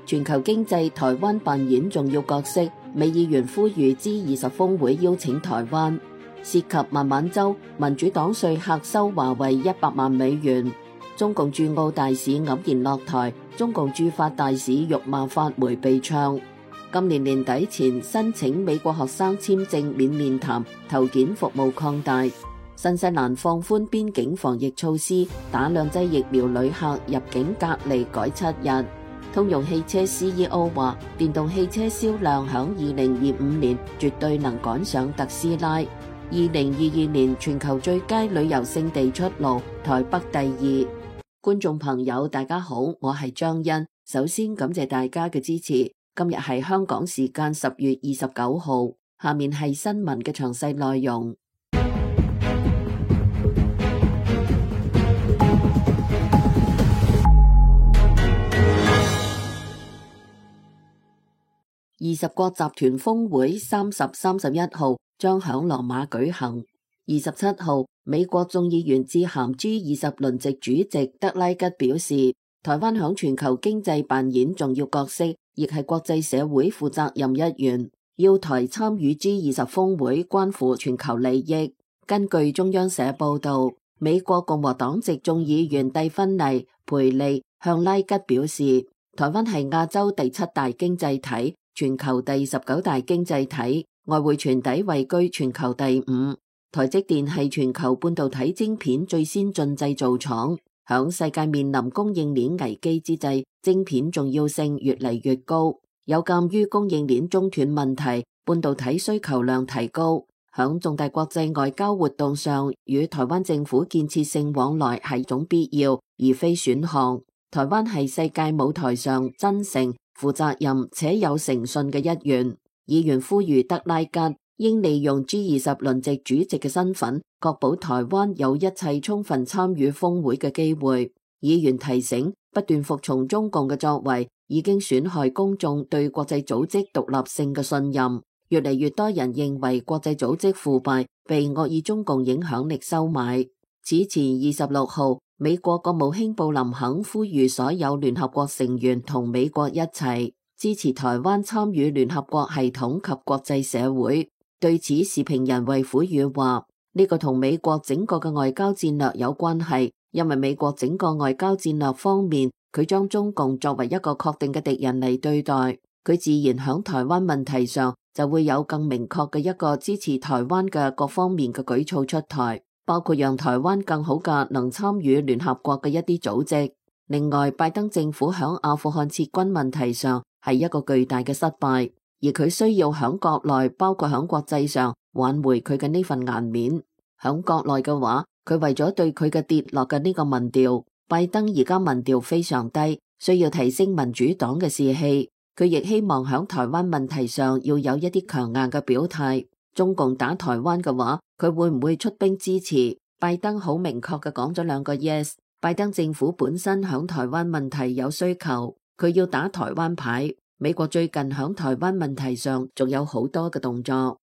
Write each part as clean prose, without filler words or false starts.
全球經濟台灣扮演重要角色，美議員呼籲 G20 峰會邀請台灣。涉及孟晚舟，民主黨說客收華為100萬美元。中共駐澳大使黯然落台，中共駐法大使辱罵法媒被唱。今年年底前申請美國學生簽證免面談投件服務擴大。新西蘭放寬邊境防疫措施，打兩劑疫苗旅客入境隔離改7日。通用汽車 CEO 話，電動汽車銷量響2025年絕對能趕上特斯拉。2022年全球最佳旅遊勝地出爐，台北第2。觀眾朋友大家好，我係張欣，首先感謝大家嘅支持。今日係香港時間10月29號，下面係新聞嘅詳細內容。20國集團峰會30、31號將響羅馬舉行。27號，美國眾議員致函 G20 輪值主席德拉吉表示，台灣響全球經濟扮演重要角色，亦係國際社會負責任一員。要台參與 G20 峰會關乎全球利益。根據中央社報道，美國共和黨籍眾議員蒂芬妮、培利向拉吉表示，台灣係亞洲第7大經濟體，全球第19大經濟體，外匯存底位居全球第5。台積電係全球半導體晶片最先進製造廠，響世界面臨供應鏈危機之際，晶片重要性越嚟越高。有鑒於供應鏈中斷問題，半導體需求量提高，響重大國際外交活動上，與台灣政府建設性往來係種必要，而非選項。台灣係世界舞台上真誠、負責任且有誠信嘅一員。議員呼籲德拉吉應利用 G20 輪值主席嘅身份，確保台灣有一切充分參與峰會嘅機會。議員提醒，不斷服從中共嘅作為，已經損害公眾對國際組織獨立性嘅信任。越嚟越多人認為國際組織腐敗，被惡意中共影響力收買。此前26號，美國國務卿布林肯呼籲所有聯合國成員同美國一齊支持台灣參與聯合國系統及國際社會。對此，時評人衛虎宇話：呢個同美國整個嘅外交戰略有關係，因為美國整個外交戰略方面，佢將中共作為一個確定嘅敵人嚟對待，佢自然響台灣問題上就會有更明確嘅一個支持台灣嘅各方面嘅舉措出台，包括讓台灣更好嘅能參與聯合國嘅一啲組織。另外，拜登政府響阿富汗撤軍問題上係一個巨大嘅失敗，而佢需要響國內，包括響國際上挽回佢嘅呢份顏面。響國內嘅話，佢為咗對佢嘅跌落嘅呢個民調，拜登而家民調非常低，需要提升民主黨嘅士氣。佢亦希望響台灣問題上要有一啲強硬嘅表態。中共打台灣嘅話，佢會唔會出兵支持？拜登好明確嘅講咗2個 yes。拜登政府本身響台灣問題有需求，佢要打台灣牌。美國最近響台灣問題上仲有好多嘅動作。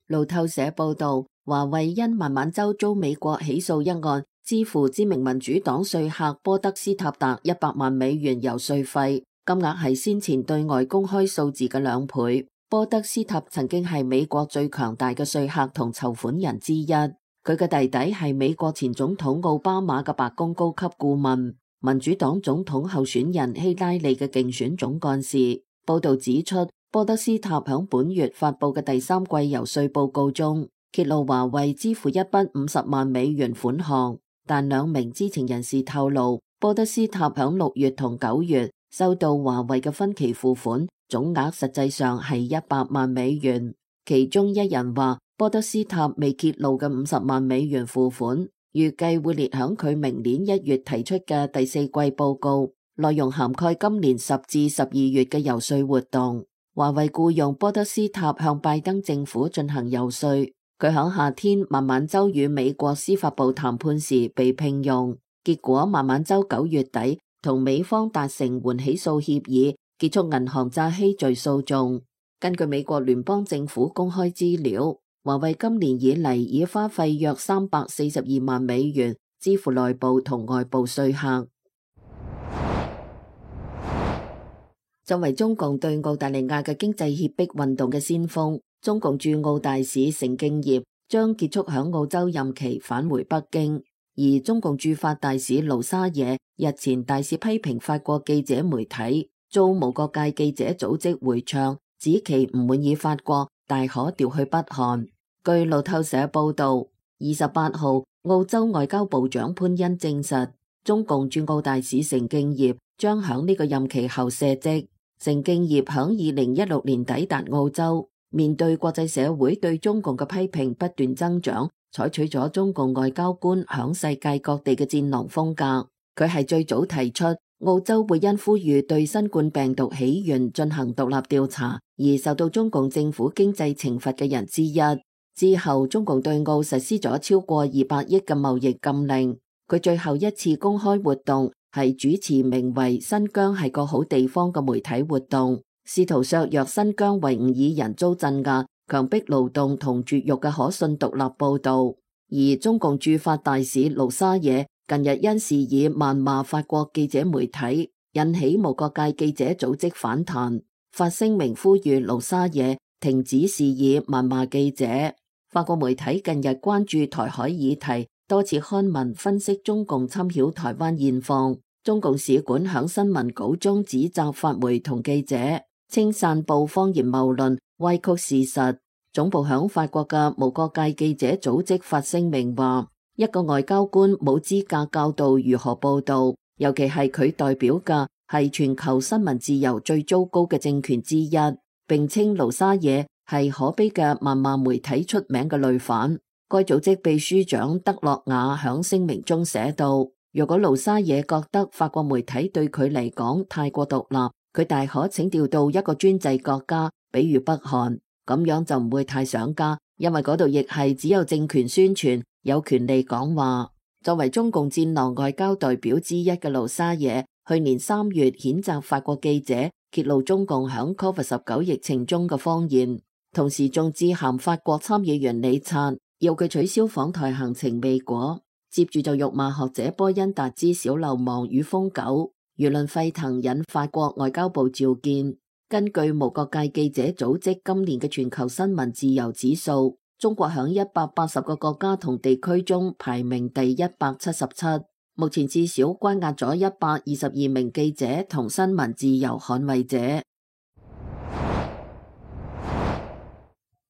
路透社報道，華為因孟晚舟遭美國起訴一案，支付知名民主黨說客波德斯塔達100萬美元遊說費，金額係先前對外公開數字嘅2倍。波德斯塔曾經係美國最強大嘅說客同籌款人之一，佢嘅弟弟係美國前總統奧巴馬嘅白宮高級顧問，民主黨總統候選人希拉里嘅競選總幹事。報道指出，波德斯塔響本月發佈嘅第3季遊說報告中，揭露華為支付一筆50萬美元款項，但2名知情人士透露，波德斯塔響6月同9月收到華為嘅分期付款，總額實際上係100萬美元。其中一人話，波德斯塔未揭露嘅50萬美元付款，預計會列響佢明年1月提出嘅第4季報告，內容涵蓋今年10至12月嘅遊說活動。華為僱用波德斯塔向拜登政府進行遊說，佢響夏天孟晚舟與美國司法部談判時被聘用，結果孟晚舟9月底同美方達成緩起訴協議，結束銀行詐欺罪訴訟。根據美國聯邦政府公開資料，華為今年以嚟已花費約342萬美元支付內部同外部說客。作為中共對澳大利亞嘅經濟脅迫運動嘅先鋒，中共駐澳大使成敬業將結束響澳洲任期返回北京，而中共駐法大使盧沙野日前大肆批評法國記者媒體，遭無國界記者組織回唱，指其唔滿意法國，大可調去北韓。據路透社報道，28號澳洲外交部長潘恩證實，中共駐澳大使成敬業將響呢個任期後卸職。成敬業響2016年抵達澳洲，面對國際社會對中共嘅批評不斷增長，採取咗中共外交官響世界各地嘅戰狼風格。佢係最早提出澳洲會因呼籲對新冠病毒起源進行獨立調查而受到中共政府經濟懲罰嘅人之一。之後，中共對澳實施咗超過200億嘅貿易禁令。佢最後一次公開活動係主持名為《新疆係個好地方》嘅媒體活動，試圖削弱新疆維吾爾人遭鎮壓、強迫勞動同絕育嘅可信獨立報導。而中共駐法大使盧沙野近日因事以謾罵法國記者媒體，引起無國界記者組織反彈，發聲明呼籲盧沙野停止事以謾罵記者。法國媒體近日關注台海議題，多次刊文分析中共侵擾台灣現況。中共使館響新聞稿中指責法媒同記者稱散布謊言謬論、歪曲事實。總部響法國嘅無國界記者組織發聲明話，一個外交官冇資格教導如何報道，尤其係佢代表嘅係全球新聞自由最糟糕嘅政權之一，並稱盧沙野係可悲嘅謾罵媒體出名嘅累犯。該組織秘書長德洛瓦響聲明中寫道，如果盧沙野覺得法國媒體對佢嚟講太過獨立，佢大可請調到一個專制國家，比如北韓，咁樣就唔會太想家，因為嗰度亦係只有政權宣傳，有權利講話。作為中共戰狼外交代表之一嘅盧沙野，去年3月譴責法國記者揭露中共響 COVID-19 疫情中嘅謊言，同時仲致函法國參議員李察，要佢取消訪台行程未果，接住就辱罵學者波恩達之小流氓與瘋狗，輿論沸騰，引法國外交部召見。根據無國界記者組織今年嘅全球新聞自由指數，中國響180個國家同地區中排名第177，目前至少關押咗122名記者同新聞自由捍衛者。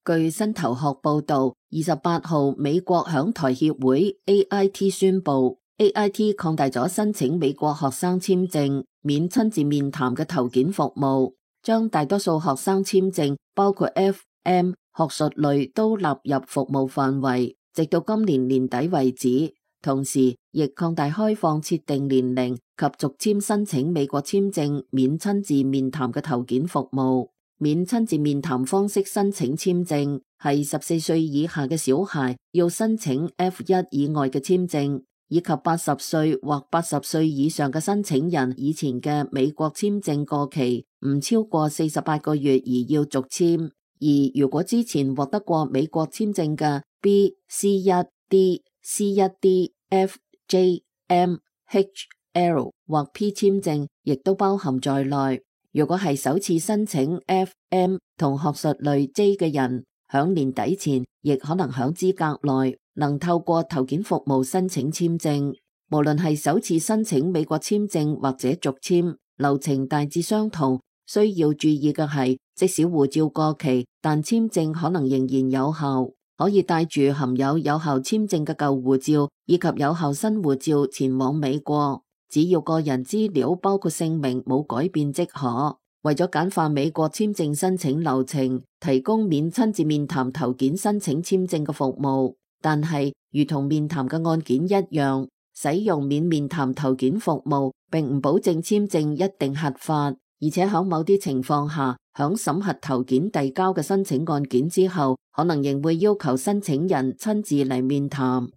據新頭殼報道，28號美國響台協會 AIT 宣布 ，AIT 擴大咗申請美國學生簽證免親自面談嘅投件服務，將大多數學生簽證，包括 FM 學術類都納入服務範圍，直到今年年底為止。同時，亦擴大開放設定年齡及續簽申請美國簽證免親自面談嘅投件服務。免親自面談方式申請簽證係14歲以下嘅小孩要申請 F1 以外嘅簽證，以及80歲或80歲以上嘅申請人以前嘅美國簽證過期唔超過48個月而要續簽。而如果之前獲得過美國簽證嘅 B、C1、D、C1D、F、J、M、H、L 或 P 簽證，亦都包含在內。如果係首次申請 F、M 同學術類 J 嘅人，響年底前亦可能響資格內能透過投件服務申請簽證。無論係首次申請美國簽證或者續簽，流程大致相同。需要注意嘅係，即使護照過期，但簽證可能仍然有效，可以帶住含有有效簽證嘅舊護照以及有效新護照前往美國。只要個人資料包括姓名冇改變即可。為咗簡化美國簽證申請流程，提供免親自面談投件申請簽證嘅服務。但係，如同面談嘅案件一樣，使用免面談投件服務並唔保證簽證一定核發，而且喺某啲情況下，響審核投件遞交嘅申請案件之後，可能仍會要求申請人親自嚟面談。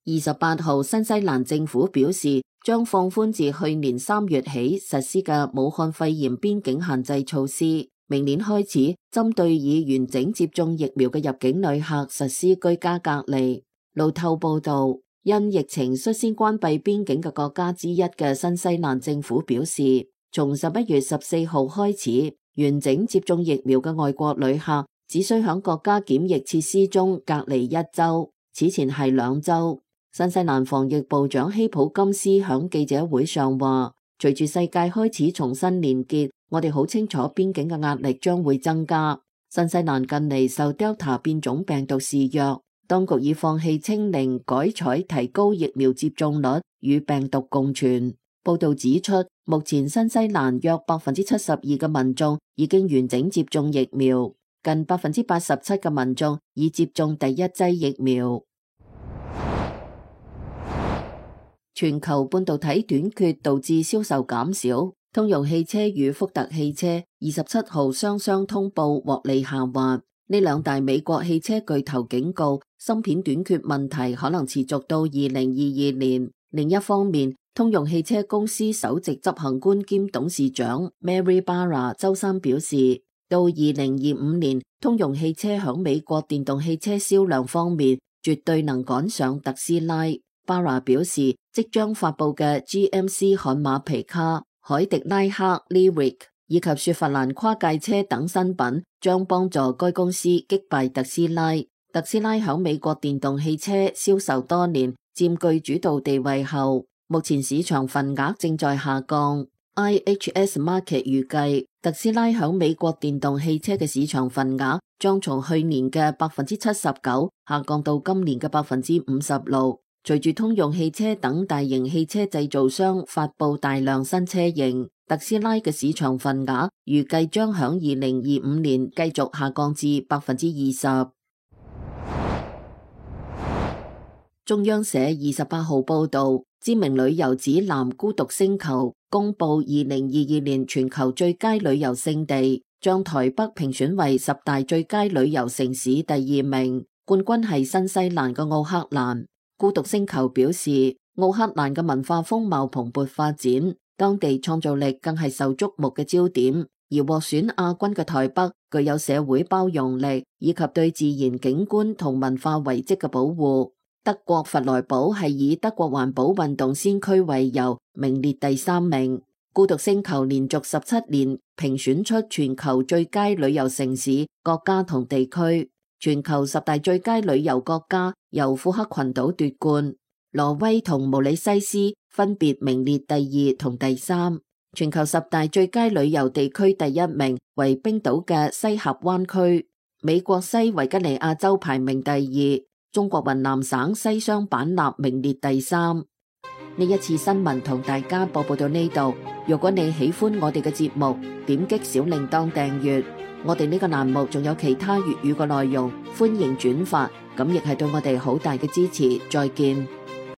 28號，新西蘭政府表示將放寬自去年3月起實施嘅武漢肺炎邊境限制措施，明年開始針對已完整接種疫苗嘅入境旅客實施居家隔離。路透報道，因疫情率先關閉邊境嘅國家之一嘅新西蘭政府表示，從11月14號開始，完整接種疫苗嘅外國旅客只需響國家檢疫設施中隔離1週，此前係2週。新西蘭防疫部長希普金斯響記者會上話，隨住世界開始重新連結，我哋好清楚邊境嘅壓力將會增加。新西蘭近嚟受 Delta 變種病毒肆虐，當局已放棄清零，改採提高疫苗接種率與病毒共存。報道指出，目前新西蘭約72%嘅民眾已經完整接種疫苗，近87%嘅民眾已接種第一劑疫苗。全球半導體短缺導致銷售減少，通用汽車與福特汽車27號雙雙通報獲利下滑。呢兩大美國汽車巨頭警告，芯片短缺問題可能持續到2022年。另一方面，通用汽車公司首席執行官兼董事長 Mary Barra 周三表示，到2025年，通用汽車響美國電動汽車銷量方面絕對能趕上特斯拉。Barra 表示，即將發佈嘅 GMC 悍馬皮卡、凱迪拉克 Lyriq 以及雪佛蘭跨界車等新品將幫助該公司擊敗特斯拉。特斯拉響美國電動汽車銷售多年，佔據主導地位後，目前市場份額正在下降。IHS Markit 預計，特斯拉響美國電動汽車嘅市場份額將從去年嘅79%下降到今年嘅56%。隨住通用汽車等大型汽車製造商發佈大量新車型，特斯拉嘅市場份額預計將響2025年繼續下降至20%。中央社28號報道，知名旅遊指南孤獨星球公布2022年全球最佳旅遊勝地，將台北評選為10大最佳旅遊城市第2名，冠軍係新西蘭嘅奧克蘭。孤獨星球表示，奧克蘭嘅文化風貌蓬勃發展，當地創造力更係受矚目嘅焦點。而獲選亞軍嘅台北，具有社會包容力以及對自然景觀同文化遺跡嘅保護。德國弗萊堡係以德國環保運動先驅為由，名列第3名。孤獨星球連續17年評選出全球最佳旅遊城市、國家同地區。全球10大最佳旅遊國家由庫克群島奪冠，挪威同毛里西斯分別名列第2同第3。全球10大最佳旅遊地區第1名為冰島嘅西峽灣區，美國西維吉尼亞州排名第2，中國雲南省西雙版納名列第3。呢一次新聞同大家播報到呢度，如果你喜歡我哋嘅節目，點擊小鈴鐺訂閱。我哋呢個欄目仲有其他粵語嘅內容，歡迎轉發，咁亦係對我哋好大嘅支持。再見。